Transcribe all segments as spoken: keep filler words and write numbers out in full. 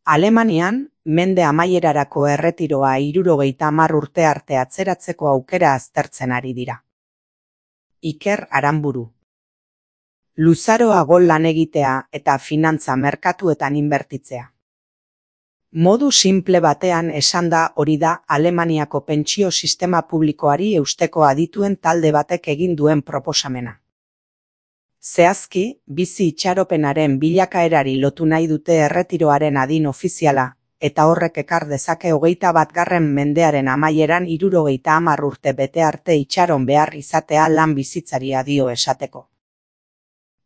Alemanian, mende amaierarako erretiroa hirurogeita hamar urte arte atzeratzeko aukera aztertzen ari dira. Iker Aranburu. Luzaroago lan egitea eta finantza merkatuetan inbertitzea. Modu simple batean esanda hori da Alemaniako pentsio sistema publikoari eusteko adituen talde batek egin duen proposamena. Zehazki, bizi itxaropenaren bilakaerari lotu nahi dute erretiroaren adin ofiziala, eta horrek ekar dezake hogeita batgarren mendearen amaieran hirurogeita hamar urte bete arte itxaron behar izatea lan bizitzari adio esateko.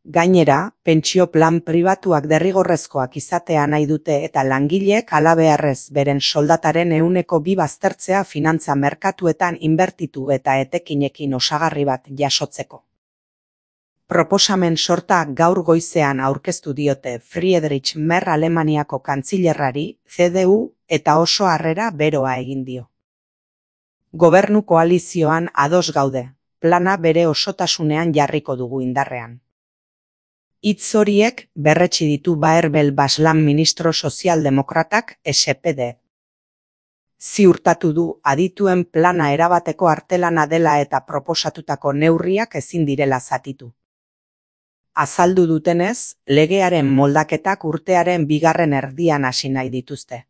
Gainera, pentsio plan pribatuak derrigorrezkoak izatea nahi dute eta langileek halabeharrez beren soldataren ehuneko bi baztertzea finantza merkatuetan inbertitu eta etekinekin osagarri bat jasotzeko. Proposamen sorta gaur goizean aurkeztu diote Friedrich Merz Alemaniako kantzilerrari, C D U, eta oso harrera beroa egin dio. Gobernu koalizioan ados gaude, plana bere osotasunean jarriko dugu indarrean. Hitz horiek berretsi ditu Baerbel Baslan ministro sozialdemokratak S P D. Ziurtatu du adituen plana erabateko artelana dela eta proposatutako neurriak ezin direla zatitu. Azaldu dutenez, legearen moldaketak urtearen bigarren erdian hasi nahi dituzte.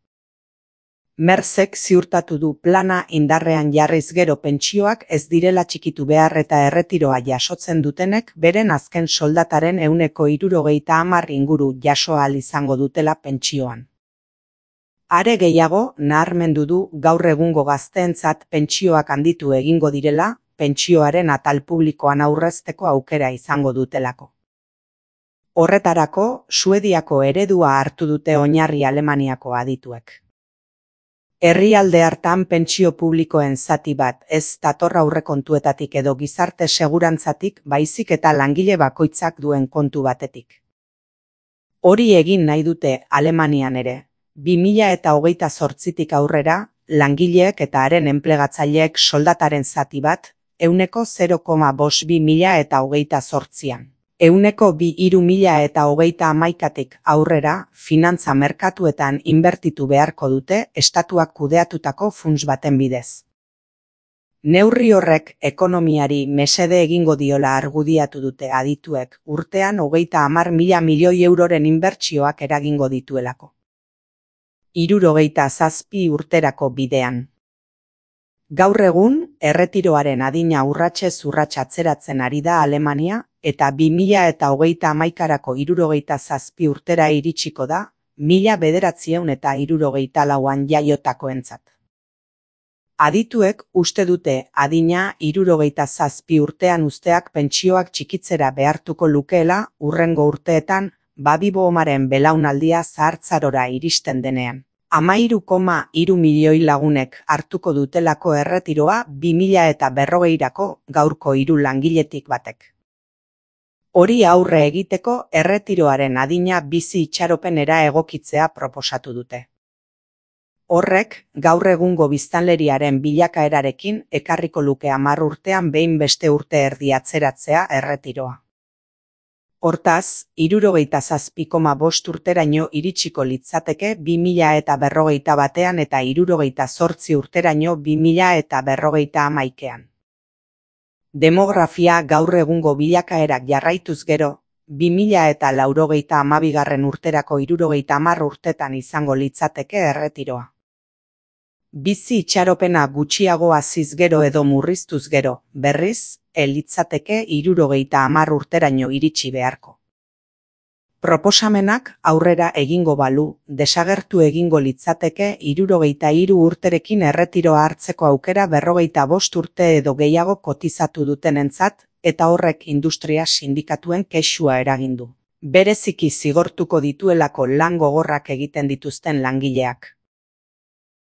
Merzek ziurtatu du plana indarrean jarriz gero pentsioak ez direla txikitu behar eta erretiroa jasotzen dutenek beren azken soldataren ehuneko hirurogeita hamar inguru jaso ahal izango dutela pentsioan. Are gehiago, naharmendu du gaur egungo gazteentzat pentsioak handitu egingo direla, pentsioaren atal publikoan aurrezteko aukera izango dutelako. Horretarako, Suediako eredua hartu dute oinarri Alemaniako adituek. Herrialde hartan pentsio publikoen zati bat ez dator aurrekontuetatik edo gizarte segurantzatik baizik eta langile bakoitzak duen kontu batetik. Hori egin nahi dute Alemanian ere, bi mila hogeita zortzitik aurrera, langileek eta haren enplegatzaileek soldataren zati bat, ehuneko zero koma bost bi mila hogeita zortzian. Ehuneko bi hiru mila eta hogeita hamaikatik aurrera, finantza merkatuetan inbertitu beharko dute estatuak kudeatutako funts baten bidez. Neurri horrek ekonomiari mesede egingo diola argudiatu dute adituek urtean hogeita hamar mila milioi euroren inbertsioak eragingo dituelako. Hirurogeita zazpi urterako bidean. Gaur egun, erretiroaren adina urratsez urrats atzeratzen ari da Alemania, eta bi mila hogeita hamaikarako hirurogeita zazpi urtera iritsiko da, mila bederatziehun eta hirurogeita lauan jaiotakoentzat. Adituek uste dute adina hirurogeita zazpi urtean uzteak pentsioak txikitzera behartuko lukeela hurrengo urteetan baby-boomaren belaunaldia zahartzarora iristen denean. Hamairu koma hiru milioi lagunek hartuko dutelako erretiroa bi mila berrogeirako gaurko hiru langiletik batek. Hori aurre egiteko erretiroaren adina bizi itxaropenera egokitzea proposatu dute. Horrek, gaur egungo biztanleriaren bilakaerarekin ekarriko luke hamar urtean behin beste urte erdi atzeratzea erretiroa. Hortaz, hirurogeita zazpi koma bost urteraino iritsiko litzateke bi mila berrogeita batean eta hirurogeita zortzi urteraino bi mila berrogeita hamaikean. Demografia gaur egungo bilakaerak jarraituz gero, bi mila laurogeita hamabigarren urterako hirurogeita hamar urtetan izango litzateke erretiroa. Bizi itxaropena gutxiago haziz gero edo murriztuz gero, berriz, elitzateke hirurogeita hamar urteraino iritsi beharko. Proposamenak aurrera egingo balu, desagertu egingo litzateke hirurogeita hiru urterekin erretiroa hartzeko aukera berrogeita bost urte edo gehiago kotizatu dutenentzat, eta horrek industria sindikatuen kexua eragindu. Bereziki zigortuko dituelako lan gogorrak egiten dituzten langileak.